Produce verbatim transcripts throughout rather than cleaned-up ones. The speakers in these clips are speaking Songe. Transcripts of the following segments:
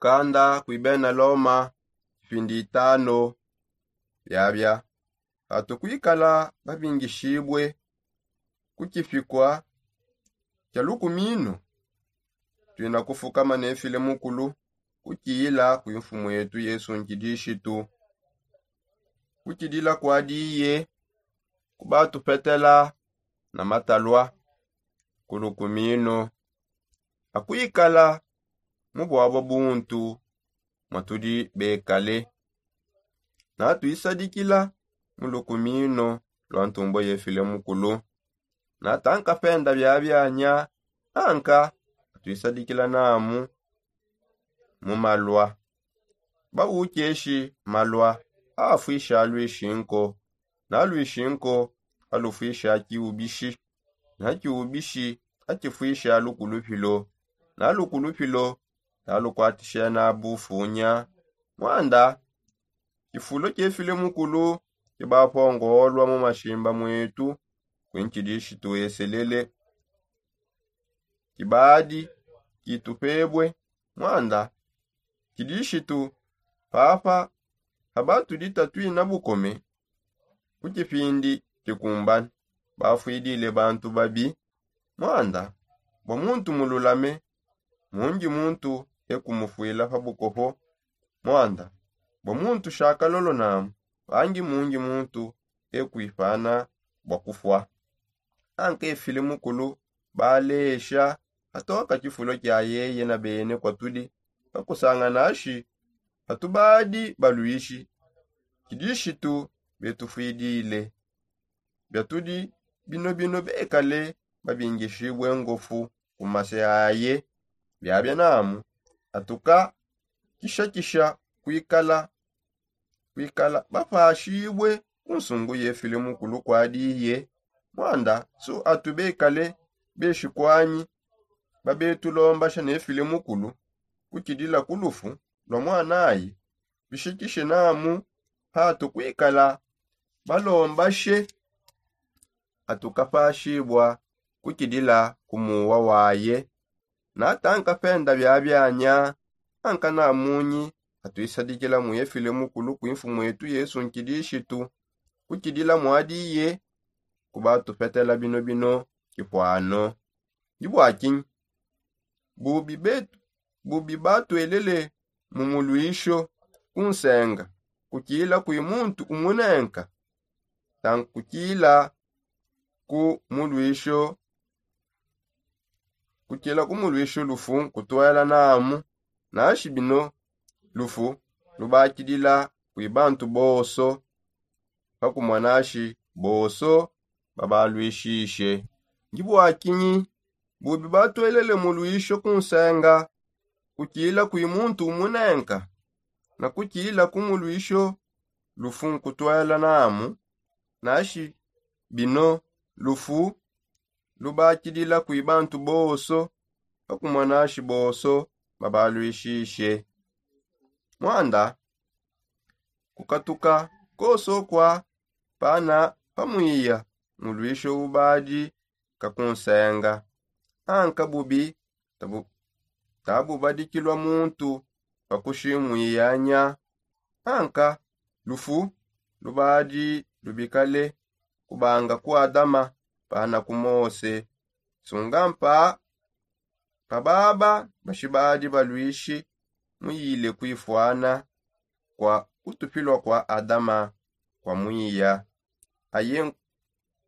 Kanda kuibena loma kipindi itano. Biabia patu kuikala babingishibue ku kipikua kia lukumino, tuina kufukama nefile mukulu kukila kui mfumu yetu yesu nkidishitu. Kukidila kuadiye kubatupetela na matalua ku lukumino akuikala mu buabo buntu mua tudi bekale. Natuisadikila mu lukumino lua ntumbua yefile mukulu. Natanka penda biabianya anka atuisadikila namu mu malua. Baukeshi malua afuisha luishi nko, na luishi nko alufuisha kiubishi, na kiubishi akifuisha lukulupilo, na lukulupilo nalukuatisha na bufunya. Muanda kifulo kiefile mukulu kibapongolua mu mashimba muetu kuinkidishitu eselele. Kibadi kitupebue muanda kidishitu papa. Paba tudi tatuina bukome ku kipindi kikumbana bafuidile bantu babi. Muanda bua muntu mululame mundi muntu ekumufuila pa bukopo. Muanda bua muntu shakalolo namu bangi mundi muntu ekuipana bua kufua. Anka efile mukulu balesha atoka kifulo kia yeye na bene kua tudi pakusangana ashi atu badi baluishi kidishitu betufuidile. Bia tudi bino bino bekale babingishibue ngofu ku mase aye. Biabia namu atuka kishakisha kuikala kuikala bapashibue ku nsungu yefile mukulu kuadiye. Muanda su atu bekale beshi kuanyi babetulombasha nefile mukulu kukidila ku lufu lua muanaye bishikishe namu patu kuikala balombashe. Atukapashibua kukidila ku muwa waye. Natanka penda biabianya anka na munyi atuisadikila mu efile mukulu kui mfumu etu yesu nkidishitu kukidila muadiye. Kubatupetela bino bino kipuano ndi bua kinyi? Bubi betu bubi batuelele mu muluisho ku nsenga kukila kui muntu umunenka. Tankukila ku muluisho kukila ku muluisho lufu nkutuela namu. Nashi bino lufu lubakidila kui bantu bonso pakumona nashi bonso babaluishishe. Ndi bua kinyi bubi batuelele muluisho ku nsenga kukila kui muntu umunenka na kukila ku muluisho lufu nkutuela namu? Nashi bino lufu lubakidila kui bantu bonso pakumona nashi bonso babaluishishe. Muanda kukatuka konso kua pana pamuiya muluisho ubadi kakunsenga. Anka bubi tabu tabubadikilua muntu pakushimwiyanya. Anka lufu lubadi lubikale kubanga ku adama pana ku mose. Sunga mpa pa baba bashibadi baluishi muyile kuifuana kua kutupilua kua adama kua muiya. Aye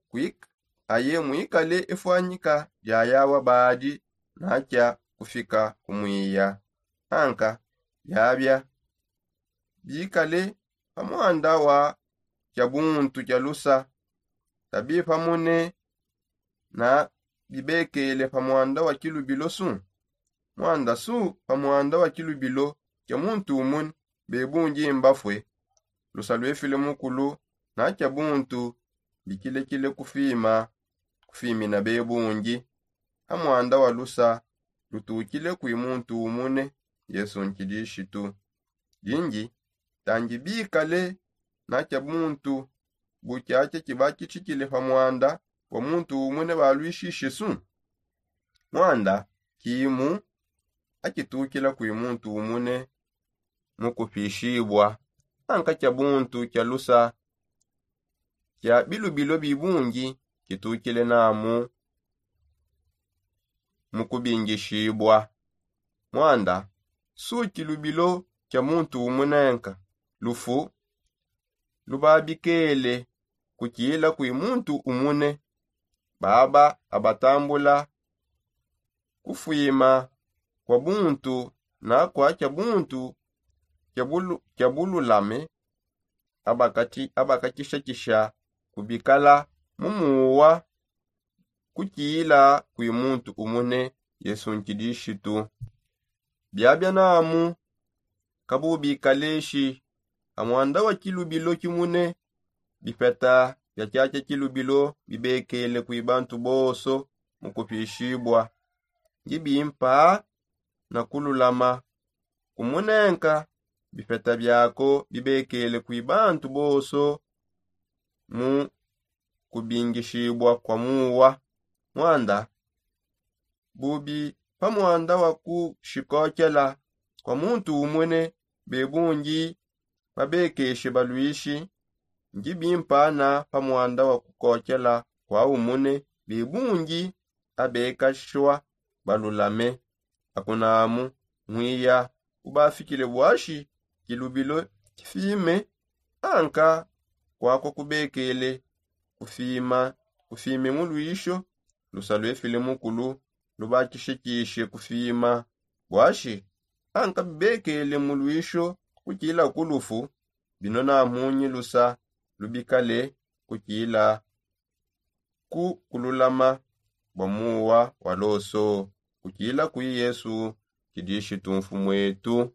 kuik aye muikale efuanyika dia yawa badi nakia kufika ku muiya. Anka biabia bikale pa muanda wa kia buntu kia lusa. Tabipamune na bibekele pa muanda wa kilubilo su. Muanda su pa muanda wa kilubilo kia muntu umune bebungi mbafue. Lusa luefile mukulu na kia buntu bikilekile kufima kufimina bebungi. Ha muanda wa lusa lutukile kui muntu umune yesu nkidishitu. Dingi tangi bikale na kia buntu bu kiakia kibakitshikile pa muanda wa muntu umune baluishishe su. Muanda kimu akitukila kui muntu umune mu kupishibua, anka kia buntu kia lusa kia bilubilo bibungi kitukile namu mu kubingishibua. Mwanda su kilubilo kia muntu umunenka, lufu lubabikele kukila kui muntu umune. Baba abatambula kufwima kwa buntu na kwa kia buntu kia bulu- kia bululame, abakati- abakakishakisha kubikala mu muwa kukila kui muntu umune, Yesu Nkidishitu. Biabia namu kabubikaleshi amwanda wa kilubilo kimune. Bipeta bia kiakia kilubilo bibekele kui bantu bonso mu kupishibua, ndi bimpa na kululama kumunenka. Bipeta biako bibekele kui bantu bonso mu kubingishibua kwa muwa. Mwanda bubi pa mwanda wa kushikokela kwa muntu umune, bebundi babekeshe balwishi, ndi bimpana pa mwanda wa kukokela kwa umune, bebundi abekashwa balulame. Akunamu mwiya ubafikile bwashi kilubilo kifime, anka kwakwa kubekele kufima kufime mu lwisho. Lusa lwefile mukulu lubakishekishe kufima bwashi, anka bibekele mu lwisho kukila ku lufu. Bino namunyi lusa lubikale kukila ku kululama bua muwa wa loso, kukila kui Yesu Kidishitu Mfumuetu.